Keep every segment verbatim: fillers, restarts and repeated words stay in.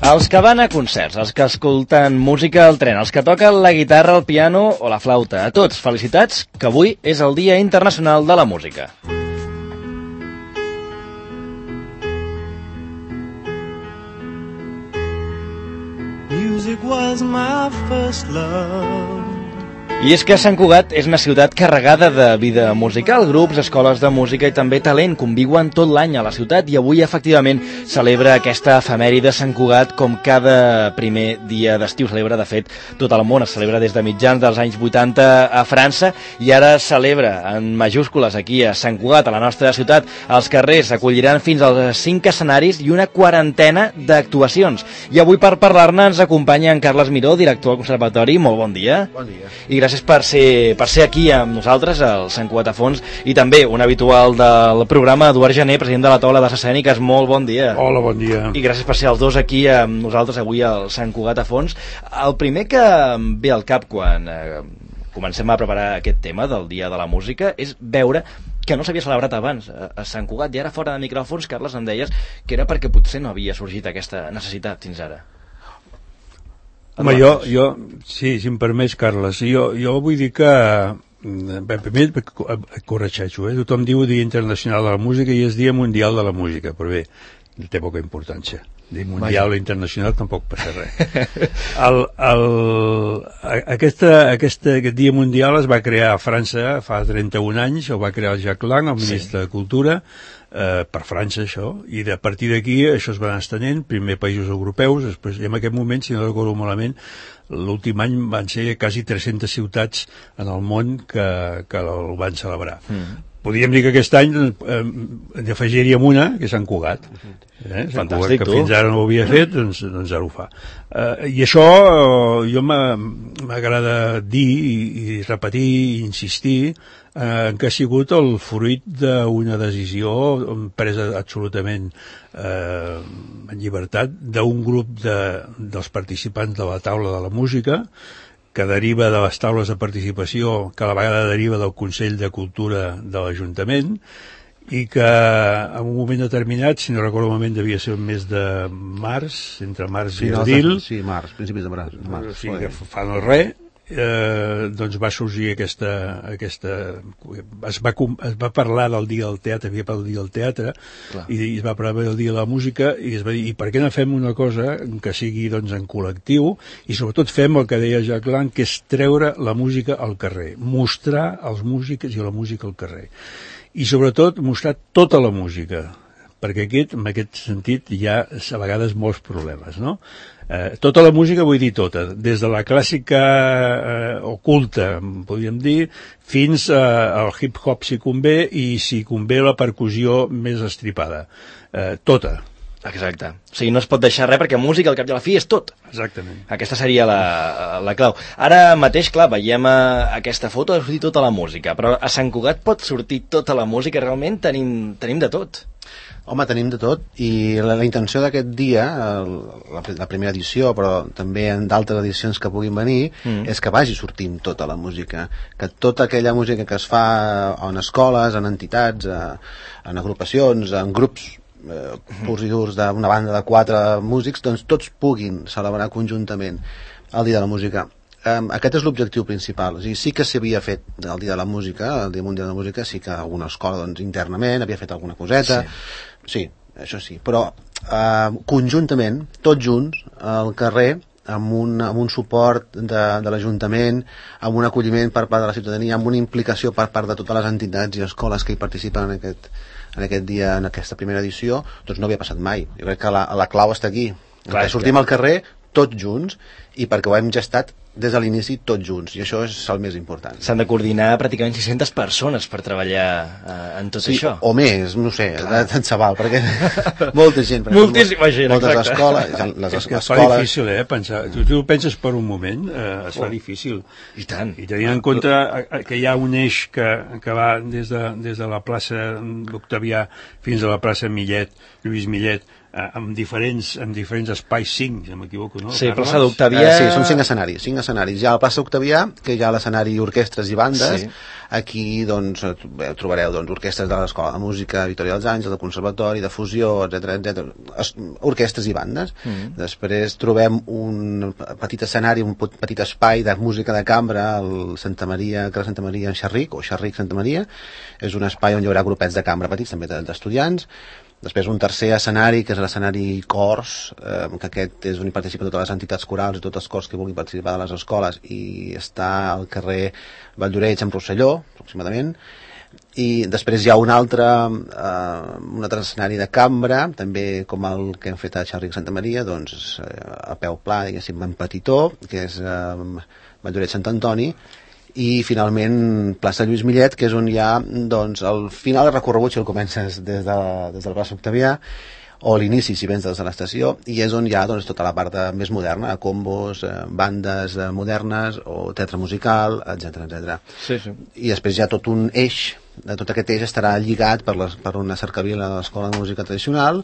Els que van a concerts, els que escolten música al tren, els que toquen la guitarra, el piano o la flauta, a tots, felicitats, que avui és el Dia Internacional de la Música. Music was my first love. I és que Sant Cugat és una ciutat carregada de vida musical, grups, escoles de música i també talent conviuen tot l'any a la ciutat i avui efectivament celebra aquesta efemèride de Sant Cugat com cada primer dia d'estiu. Celebra, de fet, tot el món, es celebra des de mitjans dels anys vuitanta a França i ara es celebra en majúscules aquí a Sant Cugat, a la nostra ciutat. Els carrers acolliran fins als cinc escenaris i una quarantena d'actuacions. I avui per parlar-ne ens acompanya en Carles Miró, director del Conservatori. Molt bon dia. Bon dia. I gràcies per ser, per ser aquí amb nosaltres, al Sant Cugat a Fons, i també un habitual del programa, Eduard Gené, president de la taula d'arts escèniques. Molt bon dia. Hola, bon dia. I gràcies per ser els dos aquí amb nosaltres avui al Sant Cugat a Fons. El primer que em ve al cap quan eh, comencem a preparar aquest tema del Dia de la Música és veure que no s'havia celebrat abans a, a Sant Cugat, i ara fora de micròfons, Carles, em deies que era perquè potser no havia sorgit aquesta necessitat fins ara. Home, jo, jo, sí, si em permets, Carles, jo, jo vull dir que, bé, primer et corregeixo, eh? Tothom diu Dia Internacional de la Música i és Dia Mundial de la Música, però bé, té poca importància. Dia Mundial o Internacional tampoc passa res. El, el, aquesta, aquesta, aquest Dia Mundial es va crear a França fa trenta-un anys, el va crear el Jacques Lang, el ministre sí. de Cultura, Eh, per França això, i a partir d'aquí això es va anar estenent, primer països europeus, després, i en aquest moment, si no recordo malament, l'últim any van ser quasi tres-centes ciutats en el món que, que el van celebrar. Mm. Podríem dir que aquest any eh, en afegiríem una, que és Sant Cugat. Eh? Sant Cugat, que tu. Fins ara no ho havia fet, doncs, doncs ara ho fa. Eh, I això eh, jo m'agrada dir i, i repetir i insistir eh, que ha sigut el fruit d'una decisió presa absolutament eh, en llibertat d'un grup de, dels participants de la taula de la música, que deriva de les taules de participació, que a la vegada deriva del Consell de Cultura de l'Ajuntament, i que en un moment determinat, si no recordo el moment, devia ser el mes de març, entre març sí, i abril. No, sí, març, principis de març. De març. Sí, que fa no res, eh, doncs va sorgir aquesta... aquesta es, va, es va parlar del Dia del Teatre, havia parlat del Dia del Teatre, clar. I es va parlar del Dia de la Música, i es va dir, i per què no fem una cosa que sigui doncs, en col·lectiu, i sobretot fem el que deia Jacques Lang, que és treure la música al carrer, mostrar els músics i la música al carrer. I sobretot mostrar tota la música, perquè aquest, en aquest sentit hi ha a vegades molts problemes, no? Eh, tota la música vull dir tota, des de la clàssica eh, oculta, podríem dir, fins eh, al hip-hop si convé, i si convé la percussió més estripada. Eh, tota. Exacte. O sigui, no es pot deixar res perquè música al cap i a la fi és tot. Exactament. Aquesta seria la, la clau. Ara mateix, clar, veiem a, aquesta foto de sortir tota la música, però a Sant Cugat pot sortir tota la música, realment tenim, tenim de tot. Home, tenim de tot, i la, la intenció d'aquest dia, la, la primera edició, però també en d'altres edicions que puguin venir, mm. és que vagi sortint tota la música, que tota aquella música que es fa en escoles, en entitats, en agrupacions, en grups eh, purs i durs d'una banda de quatre músics, doncs tots puguin celebrar conjuntament el Dia de la Música. Um, aquest és l'objectiu principal. O sigui, sí que s'havia fet el Dia de la Música, el Dia Mundial de la Música, sí que alguna escola doncs, internament havia fet alguna coseta, sí, sí això sí, però uh, conjuntament, tots junts, al carrer, amb un, amb un suport de, de l'Ajuntament, amb un acolliment per part de la ciutadania, amb una implicació per part de totes les entitats i escoles que hi participen en aquest, en aquest dia, en aquesta primera edició, doncs no havia passat mai. Jo crec que la, la clau està aquí. Clar, que sortim al carrer tots junts, i perquè ho hem gestat des de l'inici tots junts, i això és el més important. S'han de coordinar pràcticament sis-centes persones per treballar eh, en tot sí, això. O més, no sé, tant se val, perquè molta gent. Moltíssima gent, moltes exacte. escoles, les és que escoles... es fa difícil, eh, pensar. Tu, tu penses per un moment, eh, es fa oh. difícil. I tant. I tenint en compte que hi ha un eix que, que va des de, des de la plaça d'Octavià fins a la plaça Millet, Lluís Millet, amb diferents, amb diferents espais, cinc, si no m'equivoco, no? Sí, plaça d'Octavià... Eh, sí, són cinc escenaris, cinc escenaris. Hi ha la plaça d'Octavià, que hi ha l'escenari orquestres i bandes. Sí. Aquí, doncs, trobareu doncs, orquestres de l'Escola de Música Victòria dels Àngels, del Conservatori, de Fusió, etcètera, etcètera. Orquestres i bandes. Mm. Després trobem un petit escenari, un petit espai de música de cambra al Santa Maria, que Santa Maria en Xerric, o Xerric Santa Maria. És un espai on hi haurà grupets de cambra petits, també d'estudiants. Després un tercer escenari, que és l'escenari Cors, eh, que aquest és on hi participen totes les entitats corals i tots els cors que vulguin participar de les escoles, i està al carrer Valldoreix amb Rosselló, aproximadament. I després hi ha un altre, eh, un altre escenari de cambra, també com el que hem fet a Xerric Santa Maria, doncs eh, a peu pla, diguéssim, en petitó, que és eh, Valldoreix Sant Antoni, i finalment plaça Lluís Millet, que és on hi ha doncs, el final del recorregut, si el comences des de, des de la plaça Octavià, o l'inici si vens des de l'estació, i és on hi ha doncs, tota la part de, més moderna, combos, eh, bandes eh, modernes o teatre musical, etcètera, etcètera. Sí, sí. I després hi ha tot un eix, de tot aquest eix estarà lligat per, les, per una cercavila de l'Escola de Música Tradicional,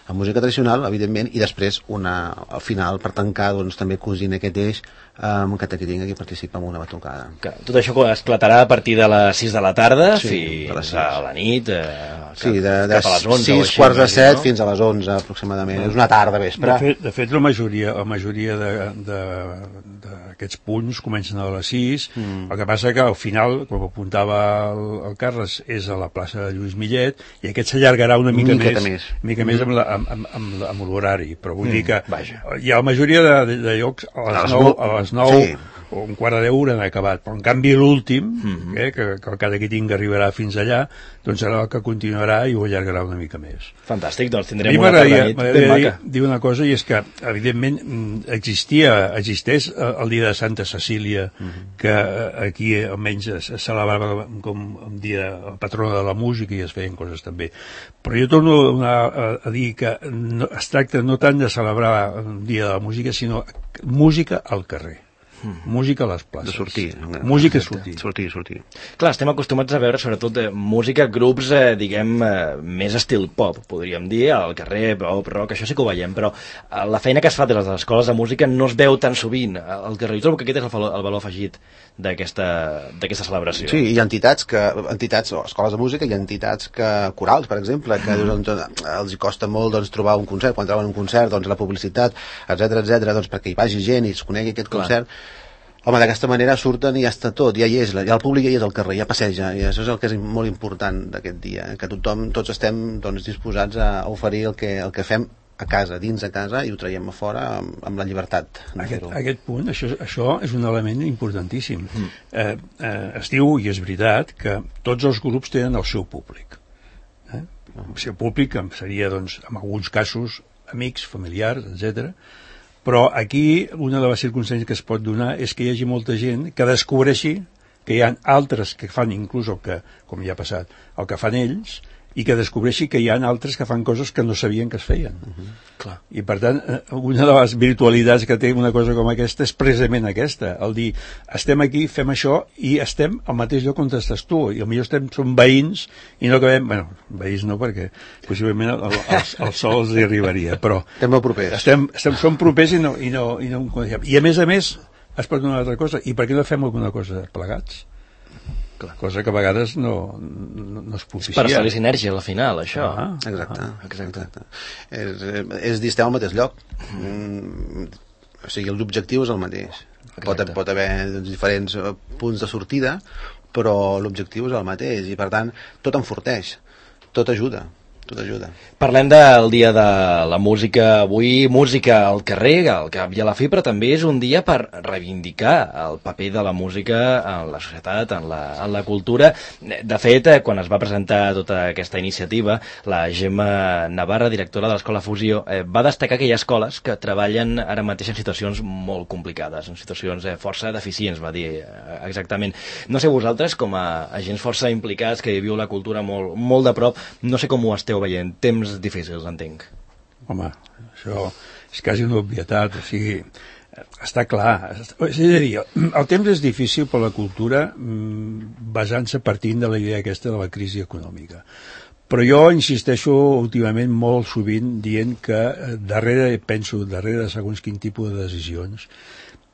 amb música tradicional, evidentment, i després una, al final, per tancar, doncs, també cosint aquest eix, um, que tinc aquí participa en una batucada. Tot això esclatarà a partir de les sis de la tarda sí, fins a la nit, eh, sí, de, de cap a les onze. sis, quarts de set, no? Fins a les onze, aproximadament. No. És una tarda vespre. De fet, de fet la majoria, la majoria d'aquests punts comencen a les sis, mm. El que passa que al final, com apuntava el, el Carles, és a la plaça de Lluís Millet, i aquest s'allargarà una mica més, més. Mica mm. més amb la amb, amb, amb, amb l'horari, però vull mm, dir que vaja. Hi ha la majoria de, de, de llocs a les nou, a les nou sí. O un quart de deu han acabat, però en canvi l'últim, mm-hmm. eh, que, que el cada que tinc arribarà fins allà, doncs serà el que continuarà i ho allargarà una mica més. Fantàstic, doncs tindrem una tarda nit ben maca. Dir una cosa, i és que evidentment existia, existeix el dia de Santa Cecília, mm-hmm. que aquí almenys es celebrava com un dia patrona de la música i es feien coses també, però jo torno a, a, a dir que no, es tracta no tant de celebrar el dia de la música, sinó música al carrer. Mm. Música a les places. De sortir. Música a sortir. Sortir, sortir. Clar, estem acostumats a veure sobretot eh, música, grups, eh, diguem, eh, més estil pop, podríem dir, al carrer, pop, rock, això sí que ho veiem, però eh, la feina que es fa des de les escoles de música no es veu tan sovint al carrer. Jo trobo que aquest és el valor, el valor afegit d'aquesta celebració. Sí, hi ha entitats, que, entitats o escoles de música, hi ha entitats que, corals, per exemple, que mm. doncs, els hi costa molt doncs, trobar un concert, quan troben un concert, doncs la publicitat, etcètera, etcètera, doncs perquè hi vagi gent i es conegui aquest Clar. concert. Home, d'aquesta manera surten i ja està tot, ja hi és, ja el públic ja hi és al carrer, ja passeja, i això és el que és molt important d'aquest dia, que tothom, tots estem doncs, disposats a oferir el que, el que fem a casa, dins de casa, i ho traiem a fora amb, amb la llibertat. Aquest, aquest punt, això, això és un element importantíssim. Mm. Eh, eh, es diu, i és veritat, que tots els grups tenen el seu públic. Eh? El seu públic seria, doncs, en alguns casos, amics, familiars, etcètera. Però aquí una de les circumstàncies que es pot donar és que hi hagi molta gent que descobreixi que hi ha altres que fan inclús el que, com ja ha passat, el que fan ells, i que descobreixi que hi ha altres que fan coses que no sabien que es feien. Uh-huh. Clar. I per tant, una de les virtualitats que té una cosa com aquesta és precisament aquesta, el dir, estem aquí, fem això, i estem al mateix lloc on estàs tu, i potser estem, som veïns, i no acabem, bueno, veïns no, perquè possiblement el, el, el, el sol els hi arribaria, però estem molt propers. Estem, estem, som propers i no, i no, i no I a més a més, es pot donar una altra cosa, i per què no fem alguna cosa plegats? Clar. Cosa que a vegades no, no, no es propicia. Per fer-li sinergia al final, això. Ah, exacte, ah, exacte. exacte. És, és dir, estem al mateix lloc. Mm, o sigui, l'objectiu és el mateix. Pot, pot haver doncs, diferents punts de sortida, però l'objectiu és el mateix, i per tant, tot enforteix, tot ajuda. Tot ajuda. Parlem del dia de la música avui, música al carrer, al cap i a la fi, però també és un dia per reivindicar el paper de la música en la societat, en la, en la cultura. De fet, quan es va presentar tota aquesta iniciativa, la Gemma Navarra, directora de l'Escola Fusió, eh, va destacar que hi ha escoles que treballen ara mateix en situacions molt complicades, en situacions eh, força deficients, va dir eh, exactament. No sé vosaltres, com a agents força implicats que viviu la cultura molt, molt de prop, no sé com ho esteu veient, temps difícils, entenc. Home, això és quasi una obvietat, o sigui, està clar. És a dir, el temps és difícil per la cultura basant-se partint de la idea aquesta de la crisi econòmica. Però jo insisteixo últimament molt sovint dient que darrere, penso, darrere de segons quin tipus de decisions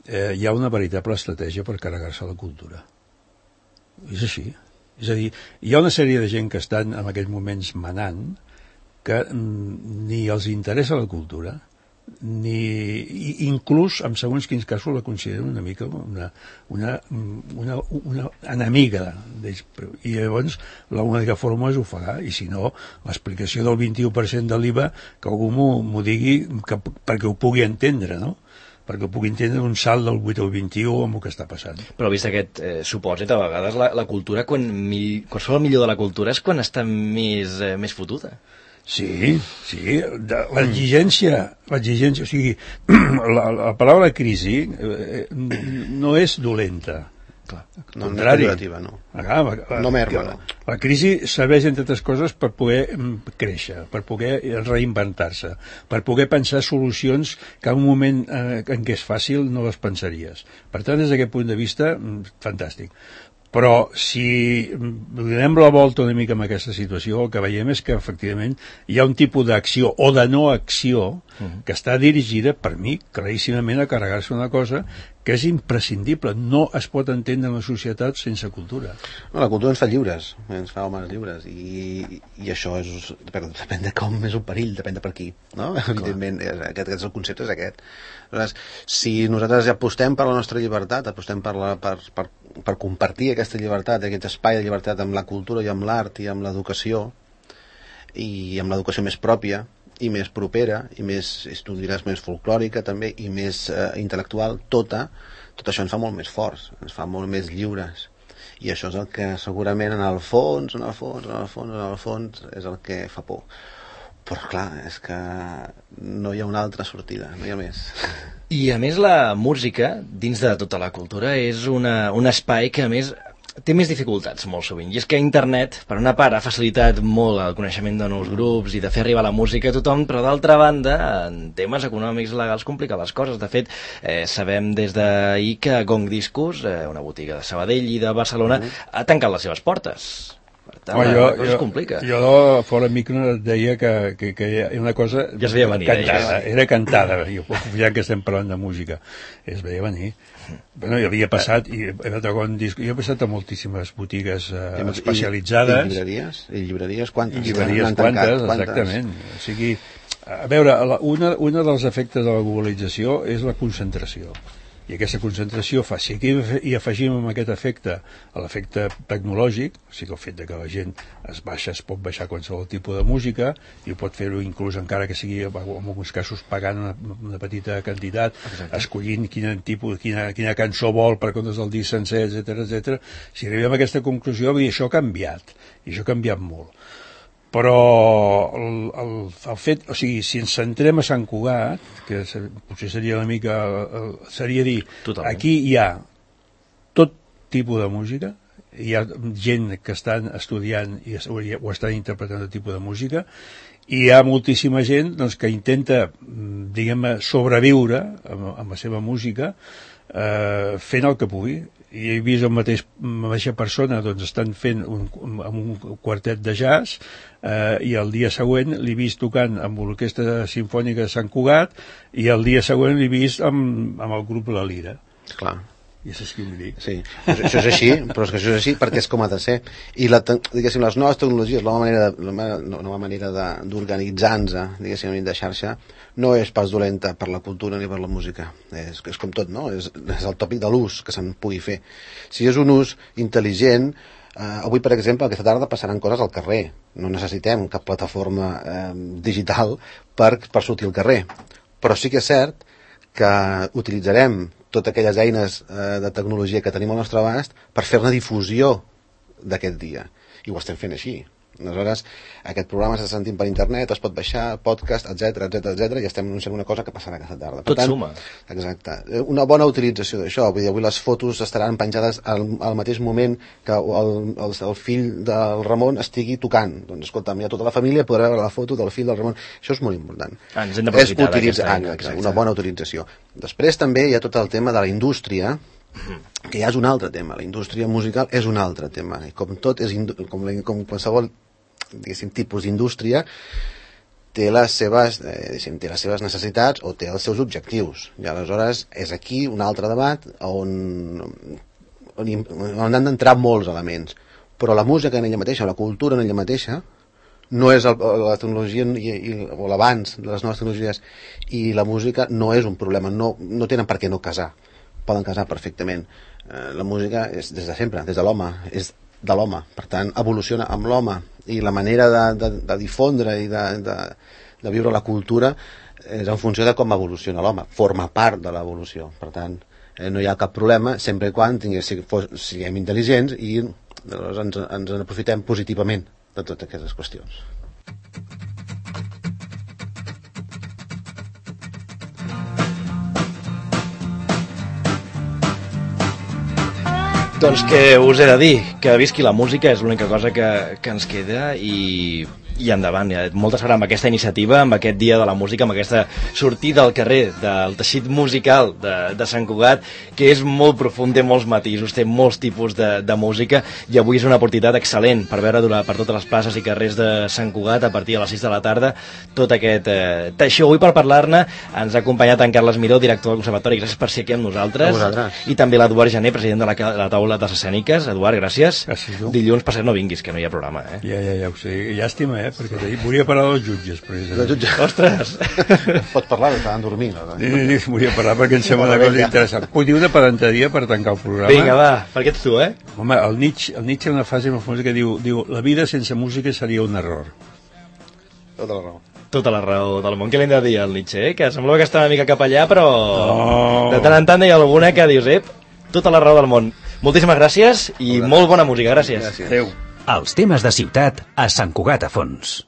eh, hi ha una veritable estratègia per carregar-se la cultura. És així. És a dir, hi ha una sèrie de gent que estan en aquests moments manant que mm, ni els interessa la cultura, ni inclús en segons quins casos la consideren una mica una, una, una, una enemiga d'ells. I llavors l'única forma és ofegar, i si no l'explicació del vint-i-u per cent de l'I V A que algú m'ho digui que, perquè ho pugui entendre, no? Perquè pugui entendre un salt del vuit al vint-i-u amb el que està passant. Però vist aquest eh, supòsit, a vegades la, la cultura, quan, mi, quan surt el millor de la cultura és quan està més, eh, més fotuda. Sí, sí, l'exigència, l'exigència, o sigui, la, la paraula crisi eh, no és dolenta. Clar, no, no és pejorativa, no. Ah, la, la, no merma, no. La crisi serveix, entre altres coses, per poder créixer, per poder reinventar-se, per poder pensar solucions que en un moment eh, en què és fàcil no les pensaries. Per tant, des d'aquest punt de vista, fantàstic. Però si donem la volta una mica amb aquesta situació, el que veiem és que efectivament hi ha un tipus d'acció o de no acció que està dirigida, per mi, claríssimament a carregar-se una cosa que és imprescindible. No es pot entendre una societat sense cultura. No, la cultura ens fa lliures, ens fa homes lliures, i, i això és, depèn de com és un perill, depèn de per qui, no? Evidentment, aquest, aquest és el concepte, és aquest. Aleshores, si nosaltres apostem per la nostra llibertat, apostem per, la, per, per, per compartir aquesta llibertat, aquest espai de llibertat amb la cultura i amb l'art i amb l'educació, i amb l'educació més pròpia, i més propera, i més, tu diràs, més folclòrica també, i més eh, intel·lectual, tota, tot això ens fa molt més forts, ens fa molt més lliures. I això és el que segurament en el fons, en el fons, en el fons, en el fons, és el que fa por. Però clar, és que no hi ha una altra sortida, no hi ha més. I a més la música, dins de tota la cultura, és una, un espai que a més té més dificultats molt sovint, i és que internet, per una part, ha facilitat molt el coneixement de nous grups i de fer arribar la música a tothom, però d'altra banda, en temes econòmics legals complica les coses. De fet, eh, sabem des d'ahir que Gong Discos, eh, una botiga de Sabadell i de Barcelona, mm. ha tancat les seves portes. Per tant, Home, jo, la cosa jo, es complica. Jo, fora micro, et deia que, que, que hi ha una cosa... Ja es veia venir. Cantada, ja. Era cantada, jo, ja que estem parlant de música. Es veia venir. Bueno, jo havia passat, i disc, jo he passat a moltíssimes botigues eh, especialitzades. I, i llibreries? I llibreries quantes? I llibreries quantes, quantes, exactament. O sigui, a veure, una, una dels efectes de la globalització és la concentració. I aquesta concentració fa, si aquí hi afegim amb aquest efecte l'efecte tecnològic, o sigui el fet de que la gent es baixa, es pot baixar qualsevol tipus de música, i pot fer-ho inclús encara que sigui en alguns casos pagant una, una petita quantitat, exacte, escollint quin tipus, quina, quina cançó vol per comptes del disc sencer, etcètera, etcètera. Si arribem a aquesta conclusió, vull dir, això ha canviat, i això ha canviat molt. Però el, el, el fet, o sigui, si ens centrem a Sant Cugat, que se, potser seria una mica, seria dir, totalment, aquí hi ha tot tipus de música, hi ha gent que estan estudiant i, o estan interpretant tot tipus de música, i hi ha moltíssima gent doncs, que intenta, diguem-ne, sobreviure amb, amb la seva música, eh, fent el que pugui. I he vist el mateix, la mateixa persona doncs estan fent un, amb un quartet de jazz, eh, i el dia següent l'he vist tocant amb l'Orquestra Simfònica de Sant Cugat, i el dia següent l'he vist amb, amb el grup La Lira. Clar. I això és que ho dic. Sí, això és així, però és que això és així perquè és com ha de ser. I la, diguéssim, les noves tecnologies, la nova manera, de, la nova manera d'organitzar-nos, diguéssim, de xarxa, no és pas dolenta per la cultura ni per la música. És, és com tot, no? És, és el tòpic de l'ús que se'n pugui fer. Si és un ús intel·ligent, eh, avui, per exemple, aquesta tarda passaran coses al carrer. No necessitem cap plataforma eh, digital per, per sortir al carrer. Però sí que és cert que utilitzarem totes aquelles eines eh, de tecnologia que tenim al nostre abast per fer-ne difusió d'aquest dia. I ho estem fent així. Aleshores, aquest programa s'està sentint per internet, es pot baixar, podcast, etcètera, etcètera, etcètera, i estem anunciant una cosa que passarà aquesta tarda. Per Tot tant, suma. Exacte. Una bona utilització d'això. Vull dir, avui les fotos estaran penjades al, al mateix moment que el, el, el fill del Ramon estigui tocant. Doncs, escolta'm, ja tota la família podrà veure la foto del fill del Ramon. Això és molt important. Ah, ens hem d'aprofitar d'aquesta eina. Una bona utilització. Després també hi ha tot el tema de la indústria, que ja és un altre tema. La indústria musical és un altre tema. I com tot, és com, com qualsevol diguéssim, tipus d'indústria té les seves, eh, té les seves necessitats o té els seus objectius. I aleshores és aquí un altre debat on, on, on han d'entrar molts elements. Però la música en ella mateixa, la cultura en ella mateixa, no és el, la tecnologia i, i, o l'abans de les noves tecnologies, i la música no és un problema, no, no tenen per què no casar, poden casar perfectament. Eh, la música és des de sempre, des de l'home, és de l'home, per tant evoluciona amb l'home, i la manera de, de, de difondre i de, de, de viure la cultura és en funció de com evoluciona l'home, forma part de l'evolució, per tant eh, no hi ha cap problema sempre i quan tingués, siguem intel·ligents i doncs, ens, ens en aprofitem positivament de totes aquestes qüestions. Doncs que us he de dir, que visqui la música és l'única cosa que, que ens queda i, i endavant. Moltes gràcies amb aquesta iniciativa, amb aquest dia de la música, amb aquesta sortida al carrer del teixit musical de, de Sant Cugat, que és molt profund, té molts matisos, té molts tipus de, de música, i avui és una oportunitat excel·lent per veure per totes les places i carrers de Sant Cugat a partir de les sis de la tarda tot aquest eh, teixó. Avui per parlar-ne ens ha acompanyat en Carles Miró, director del Conservatori. Gràcies per ser aquí amb nosaltres. I també l'Eduard Jané, president de la, la taula de les escèniques. Eduard, gràcies. Gràcies tu. Dilluns per ser no vinguis, que no hi ha programa, eh? Ja, ja, ja ho sé. Llàstima, eh? Perquè ahir volia parlar dels jutges, precisament. Jutges. Ostres! Pots parlar, estaven dormint. Sí, sí, volia parlar perquè em sembla una cosa interessant. Puc dir una pedanteria per tancar el programa? Vinga, va, perquè ets tu, eh? Home, el Nietzsche, el Nietzsche ha una frase molt famosa que diu, diu la vida sense música seria un error. Tota la raó. Tota la raó del món. Què li hem de dir al Nietzsche, eh? Que semblava que estava una mica cap allà, però no. De tant en tant hi ha alguna que dius, ep, tota la raó del món. Moltíssimes gràcies i molt bona música, gràcies. Gràcies. Adéu. Els temes de ciutat a Sant Cugat a Fons.